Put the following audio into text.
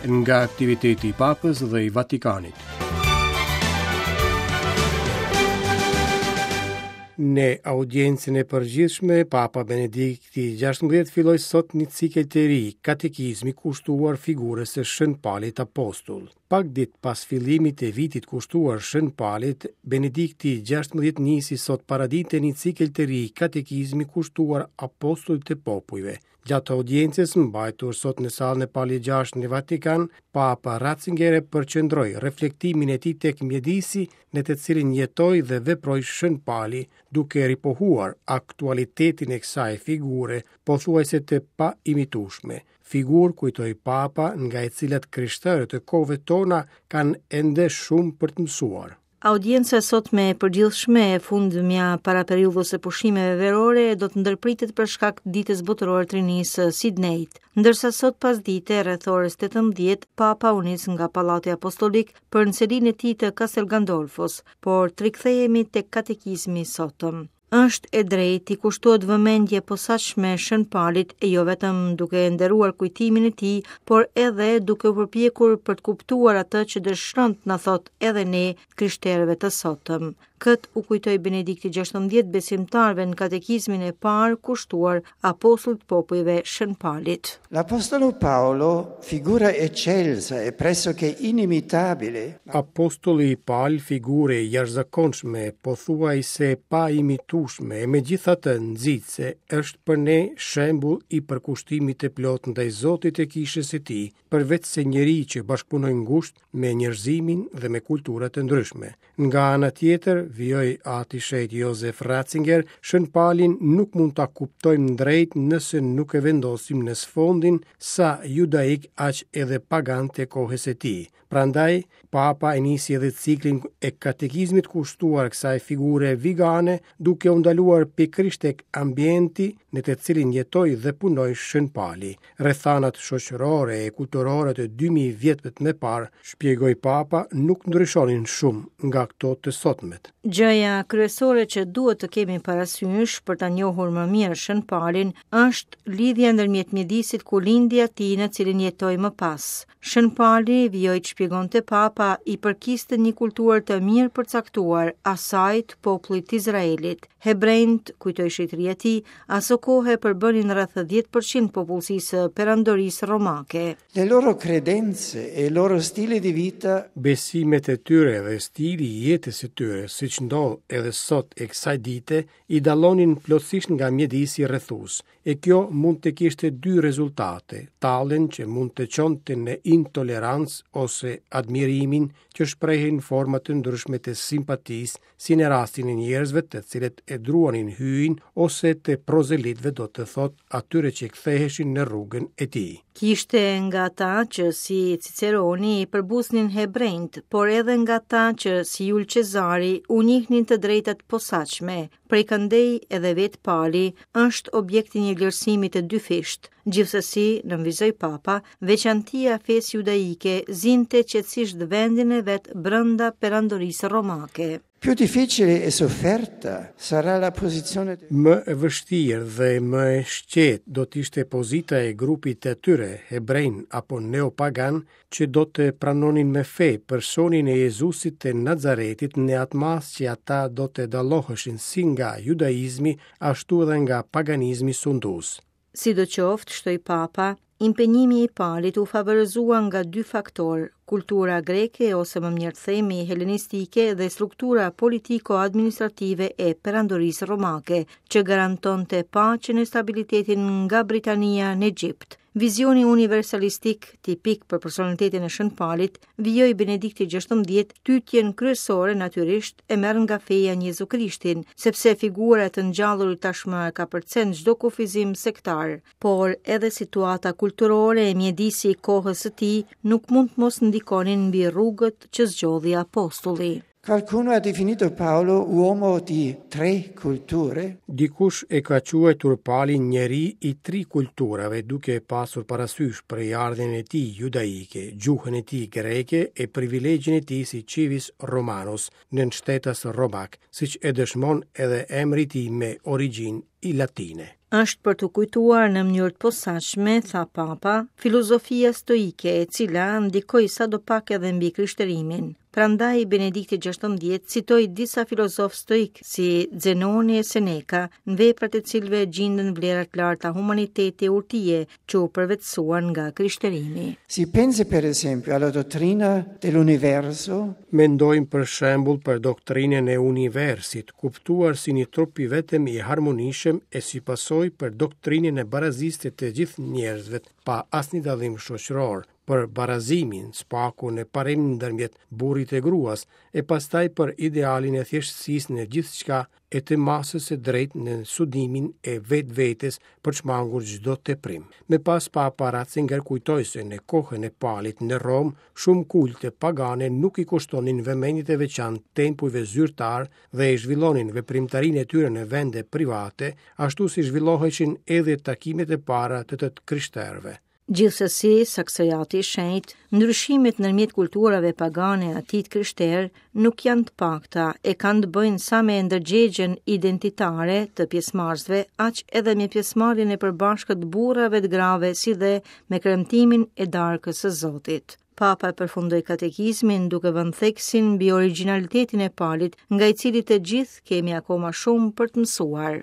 Nga aktiviteti i Papës dhe i Vatikanit. Në audiencën e përgjithshme, Papa Benedikti XVI filloi sot një cikël të ri katekizmi kushtuar figurës së Shën Palit Apostull. Pak ditë pas fillimit të vitit kushtuar Shën Palit, Benedikti XVI nisi sot paradite një cikël të ri katekizmi kushtuar apostullit të popujve. Gjatë audiencës mbajtur sot në sallën e Palit VI në Vatikan, Papa Ratzinger e përqendroi reflektimin e tij tek mjedisi në të cilin jetoi dhe veproi Shën Pali, duke ripohuar aktualitetin e kësaj figure pothuajse të paimitueshme. Figurë, kujtoi Papa, nga e cila të krishterët e kohëve tona kanë ende shumë për të mësuar. Audienca e sotme e përgjithshme e fundmja para periudhës së pushimeve verore do të ndërpritet për shkak të Ditës Botërore të Rinisë së Sidnejit. Ndërsa sot pasdite rreth orës 18, Papa u nis nga Pallati Apostolik për në selinë e tij të Castel Gandolfos, por të rikthehemi tek katekizmi i sotëm. Është e drejtë t'i kushtohet vëmendje e posaçme Shën Palit e jo vetëm duke nderuar kujtimin e tij, por edhe duke u përpjekur për të kuptuar atë që dëshiron të na thotë edhe ne krishterëve të sotëm. Këtë u kujtoi Benedikti XVI besimtarëve në katekizmin e parë kushtuar apostullit të popujve Shën Palit. L'Apostolo Paolo, figura eccelsa e pressoché inimitabile. Apostulli Pal, figurë e jashtëzakonshme, pothuajse e paimitueshme e megjithatë nxitëse, është për ne shembull i përkushtimit të plotë ndaj Zotit e Kishës së Tij, përveçse njeri që bashkëpunoi ngushtë me njerëzimin dhe me kultura të ndryshme. Nga ana tjetër, vijoi Ati i Shenjtë Jozef Ratzinger, Shën Palin nuk mund ta kuptojmë drejt nëse nuk e vendosim në sfondin sa judaik aq edhe pagan të kohës së tij. Prandaj, Papa e nisi edhe ciklin e katekizmit kushtuar kësaj figure vigane, duke u ndaluar pikërisht tek ambienti në të cilin jetoi dhe punoi Shën Pali. Rrethanat shoqërore e kulturore të 2000 vjetëve më parë, shpjegoi Papa, nuk ndryshonin shumë nga këto të sotmet. Gjëja kryesore që duhet të kemi parasysh për ta njohur më mirë Shën Palin është lidhja ndërmjet mjedisit ku lindi e atij në cilin jetoi më pas. Shën Pali, vijoi të shpjegonte Papa, i përkiste një kulture të mirëpërcaktuar, asaj të popullit të Izraelit. Hebrenjtë, kujtoi Shenjtëria e Tij, asokohe përbënin rreth 10% popullsisë së Perandorisë Romake. Le loro credenze e il loro stile di vita. Besimet e tyre dhe stili i jetës së tyre, siç ndodh edhe sot e kësaj dite, i dallonin plotësisht nga mjedisi rrethues. E kjo mund të kishte dy rezultate, talljen që mund të çonte në intolerancë ose admirimin që shprehej në forma të ndryshme të simpatisë, si në rastin e njerëzve të cilët e adhuronin hyjin ose të prozelitëve do të thotë atyre që ktheheshin në rrugën e tij. Kishte nga ata që si Ciceroni i përbuznin hebrenjtë, por edhe nga ata që si Jul Cezari u njihnin të drejta të posaçme. Prej këndej edhe vetë Pali është objekt i një vlerësimi të dyfishtë. Gjithsesi, nënvizoi Papa, veçantia e fesë judaike zinte qetësisht vendin e vet brenda perandorisë romake. Più difficile e sofferta sarà la posizione Më e vështirë dhe më e shqetë do të ishte pozita e grupit të atyre, hebrenj apo neopagan, që do të pranonin me fe personin e Jezusit të Nazaretit në atë masë që ata do të dalloheshin si nga judaizmi ashtu edhe nga paganizmi sundues. Sidoqoftë, shtoi Papa, impenjimi i Palit u favorizua nga dy faktorë, kultura greke ose më mirë të themi helenistike dhe struktura politiko-administrative e Perandorisë Romake, që garantonte paqen e stabilitetin nga Britania në Egjipt. Vizioni universalistik, tipik për personalitetin e Shën Palit, vijoi Benedikti XVI, tytjen kryesore natyrisht e merr nga feja në Jezu Krishtin, sepse figura e të ngjallurit tashmë e kapërcen çdo kufizim sektar, por edhe situata kulturore e mjedisi i kohës së tij nuk mund të mos ndikonin mbi rrugët që zgjodhi apostulli. Qualcuno ha definito Paolo uomo di tre culture. Dikush e ka quajtur Palin njeri i tri kulturave, duke pasur parasysh prejardhjen e tij judaike, gjuhën e tij greke e privilegjin e tij si civis romanus, nënshtetas romak, siç e dëshmon edhe emri i tij me origjinë i latine. Është për t'u kujtuar në mënyrë të posaçme, tha Papa, filozofia stoike e cila ndikoi sadopak edhe mbi krishterimin. Prandaj Benedikti XVI citoi disa filozofë stoikë si Zenoni e Seneka, në veprat e cilëve gjinden vlera të larta humaniteti e urtie që u përvetësuan nga krishterimi. Si pensi per esempio alla dottrina dell'universo. Mendojmë për shembull për doktrinën e universit, kuptuar si një trup i vetëm i harmonishëm e si pasojë për doktrinën e barazisë të të gjithë njerëzve pa asnjë dallim shoqëror, për barazimin, së paku në parim ndërmjet burrit e gruas, e pastaj për idealin e thjeshtësisë në gjithçka e të masës së drejtë në sundimin e vetvetes për shmangur çdo teprim. Më pas Papa Ratzinger kujtoi se në kohën e Palit në Romë, shumë kulte pagane nuk i kushtonin vëmendje të veçantë tempujve zyrtarë dhe e zhvillonin veprimtarinë e tyre në vende private, ashtu si zhvilloheshin edhe takimet e para të të krishterëve. Gjithsesi, saksojati i shenjtë, ndryshimet ndërmjet kulturave pagane e atij të krishterë nuk janë të pakta e kanë të bëjnë sa me ndërgjegjen identitare të pjesëmarrësve, aq edhe me pjesëmarrjen e përbashkët të burrave të grave si dhe me kremtimin e darkës së Zotit. Papa e përfundoi katekizmin duke vënë theksin mbi origjinalitetin e Palit, nga i cili të gjithë kemi akoma shumë për të mësuar.